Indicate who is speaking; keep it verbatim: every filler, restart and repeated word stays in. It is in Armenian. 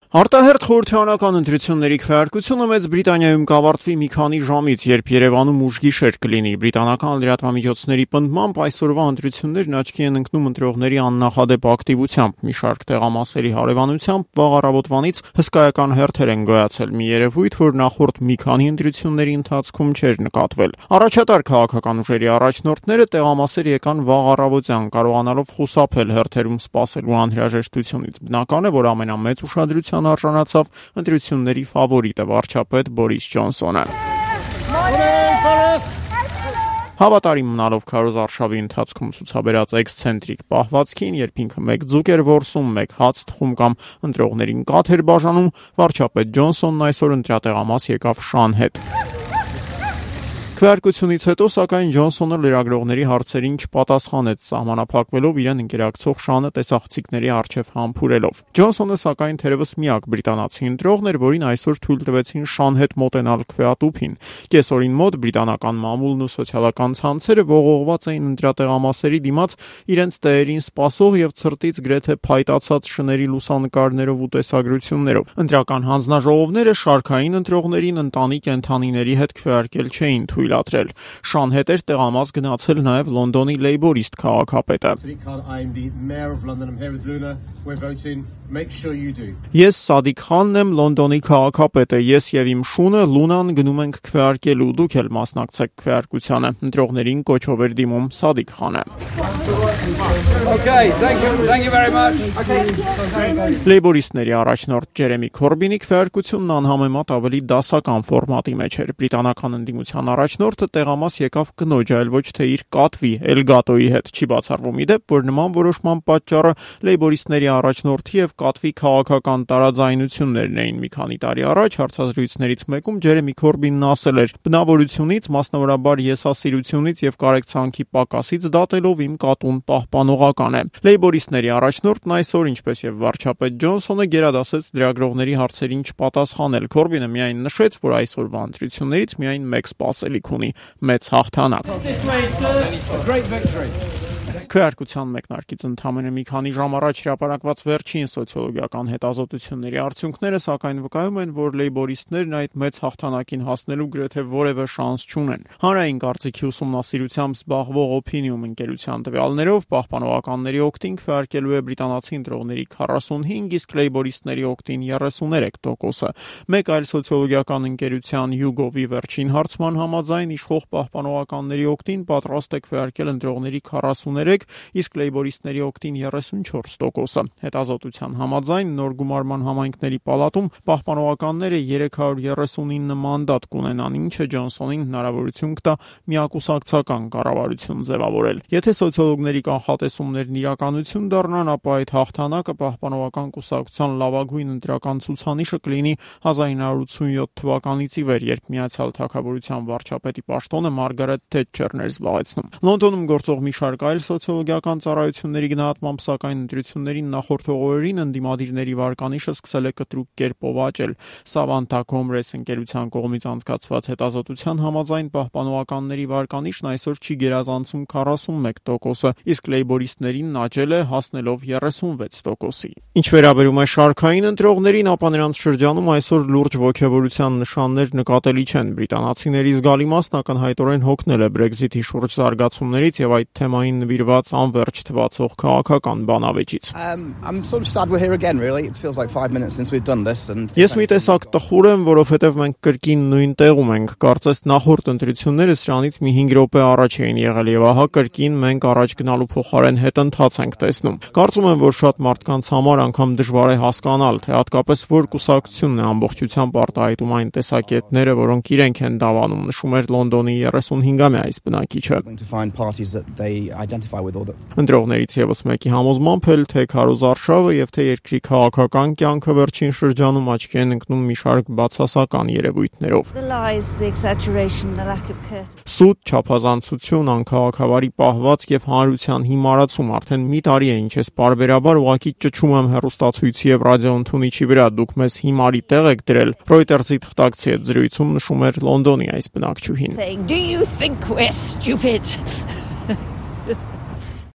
Speaker 1: Արտահերթ խորհրդարանական ընտրությունների քվեարկությունը Մեծ Բրիտանիայում կավարտվի մի քանի ժամից, երբ Երևանում ուժգիշեր կլինի։ Բրիտանական լրատվամիջոցների պնդմամբ այսօրվա ընտրություններն աչքի են ընկնում ընտրողների աննախադեպ ակտիվությամբ։ Մի շարք տեղամասերի հարևանությամբ վաղ առավոտվանից հսկայական հերթեր են գոյացել, մի երևույթ, որ նախորդ մի քանի ընտրությունների ընթացքում չէր նկատվել։ Առաջատար քաղաքական ուժերի առաջնորդները տեղամասեր եկան վաղ առավոտյան, կարողանալով խուսափել հերթերում սպասելու անհրաժեշտությունից։ Բնական է, որ ամենամեծ ուշադրության արժանացավ ընտրությունների ֆավորիտը վարչապետ Բորիս Ջոնսոնը։ Հավատարիմ մնալով քարոզ արշավի ընթացքում ցուցաբերած էքսցենտրիկ պահվածքին, երբ ինքը մեկ ձուկ էր որսում, մեկ հաց թխում կամ ընտրողներին կաթ էր բաժանում, վարչապետ Ջոնսոնն այսօր ընտրատեղամաս եկավ շան հետ։ Քվեարկությունից հետո, սակայն, Ջոնսոնը լրագրողների հարցերին չպատասխանեց, սահմանափակվելով իրեն ընկերակցող շանը տեսախցիկների առջև համբուրելով։ Ջոնսոնը, սակայն, թերևս միակ բրիտանացի ընտրողն էր, որին այսօր թույլ տվեցին շան հետ մոտենալ քվեատուփին։ Կեսօրին մոտ բրիտանական մամուլն ու սոցիալական ցանցերը ողողված էին ընտրատեղամասերի դիմաց իրենց տեղերին սպասող եւ ցրտից գրեթե փայտացած շների լուսանկարներով ու տեսագրություններով։ Ընտրական հանձնաժողովները շարքային ընտրողներին ընտանի կենդանիների հետ քվեարկել չէին թույլ ադրել։ Շան հետ էր տեղամաս գնացել նաև Լոնդոնի լեյբորիստ քաղաքապետը։ Ես Սադիկ Խանն եմ, Լոնդոնի քաղաքապետը, ես եւ իմ շունը Լունան գնում ենք քվեարկելու, դուք էլ մասնակցեք քվեարկությանը։ Ընտրողներին կոչով էր դիմում Սադիկ Խանը։
Speaker 2: Okay, thank you, thank you very much. Okay.
Speaker 1: Լեյբորիստների առաջնորդ Ջերեմի Քորբինի քվեարկությունն անհամեմատ ավելի դասական ֆորմատի մեջ էր։ Բրիտանական ընդդիմության առաջնորդը տեղամաս եկավ կնոջ, այլ ոչ թե իր կատվի Էլգատոյի հետ։ Չի բացառվում ի դեպ, որ նման որոշման պատճառը լեյբորիստների առաջնորդի եւ կատվի քաղաքական տարաձայնություններն էին։ Մի քանի տարի առաջ հարցազրույցներից մեկում Ջերեմի Քորբինն ասել էր. բնավորությունից, մասնավորաբար եսասիրությունից եւ կարեկցանքի պակասից դատելով իմ կատուն պահպանողական է։ Լեյբորիստների առաջնորդն այսօր, ինչպես եւ վարչապետ Ջոնսոնը, գերադասեց լրագրողների հարցերին չպատասխանել։ Քորբինը միայն նշեց, որ այսօրվա ընտրություններից միայն մեկ սպասելիք ունի՝ մեծ հաղթանակ։ Քվեարկության մեկնարկից ընդամենը մի քանի ժամ առաջ հրապարակված վերջին սոցիոլոգիական հետազոտությունների արդյունքները, սակայն, վկայում են, որ լեյբորիստներն այդ մեծ հաղթանակին հասնելու գրեթե որևէ շանս չունեն։ Հանրային կարծիքի ուսումնասիրությամբ զբաղվող Opinium ընկերության տվյալներով պահպանողականների օգտին քվեարկելու է բրիտանացի ընտրողների քառասունհինգ, իսկ լեյբորիստների օգտին երեսուներեք տոկոսը։ Մեկ այլ սոցիոլոգիական ընկերության YouGov-ի վերջին հարցման համաձայն իշխող պահպանողականների օգտին պատրաստ է քվեարկել ընտրողների քառասուներեք, իսկ լեյբորիստների օգտին երեսունչորս տոկոսը։ Հետազոտության համաձայն նոր գումարման համայնքների պալատում պահպանողականները երեք հարյուր երեսունինը մանդատ կունենան, ինչը Ջոնսոնին հնարավորություն կտա միակուսակցական կառավարություն ձևավորել։ Եթե սոցիոլոգների կանխատեսումներն իրականություն դառնան, ապա այդ հաղթանակը պահպանողական կուսակցության լավագույն ընտրական ցուցանիշը կլինի հազար ինը հարյուր ութսունյոթ թվականից ի վեր, երբ Միացյալ Թագավորության վարչապետի պաշտոնը Մարգարետ Թետչերն էր զբաղեցնում։ Լոնդոնում գործող մի շարք այլ սոցիոլոգիական ծառայությունների գնահատմամբ, սակայն ընտրություններին նախորդող օրերին ընդդիմադիրների վարկանիշը սկսել է կտրուկ կերպով աճել։ Savanta Comres ընկերության կողմից անցկացված հետազոտության համաձայն պահպանողականների վարկանիշն այսօր չի գերազանցում քառասունմեկ տոկոսը, իսկ լեյբորիստներին աճել է, հասնելով երեսունվեց տոկոսի։ Ինչ վերաբերում է շարքային ընտրողներին, ապա նրանց շրջանում այսօր լուրջ ոգևորության նշաններ նկատելի չեն։ Բրիտանացիների զգալի մասն ակնհայտորեն հոգնել է Brexit-ի շուրջ զարգացումներից եւ այդ թեմային նվիրված անվերջ թվացող քաղաքական բանավեճից։ Ես մի տեսակ տխուր եմ, որովհետև մենք կրկին նույն տեղում ենք։ Կարծես նախորդ ընտրությունները սրանից մի հինգ րոպե առաջ էին եղել եւ ահա կրկին մենք առաջ գնալու փոխարեն հետընթաց ենք տեսնում։ Կարծում եմ, որ շատ մարդկանց համար անգամ դժվար է հասկանալ, թե հատկապես որ կուսակցությունն է ամբողջությամբ արտահայտում այն տեսակետները, որոնք իրենք են դավանում, նշում էր Լոնդոնի երեսունհինգամյա այս բնակիչը։ Ընտրողներից եւս մեկի համոզմամբ էլ թե քարոզ արշավը եւ թե երկրի քաղաքական կյանքը վերջին շրջանում աչքի են ընկնում մի շարք բացասական երևույթներով։ Սուտ, չափազանցություն, անքաղաքավարի պահվածք եւ հանրության հիմարացում արդեն մի տարի է ինչ ես պարբերաբար ուղղակի ճչում եմ հեռուստացույցի եւ ռադիոընդունիչի վրա, դուք մեզ հիմարի տեղ եք դրել։ Reuters-ի թղթակցի հետ զրույցում նշում էր Լոնդոնի այս բնակչուհին։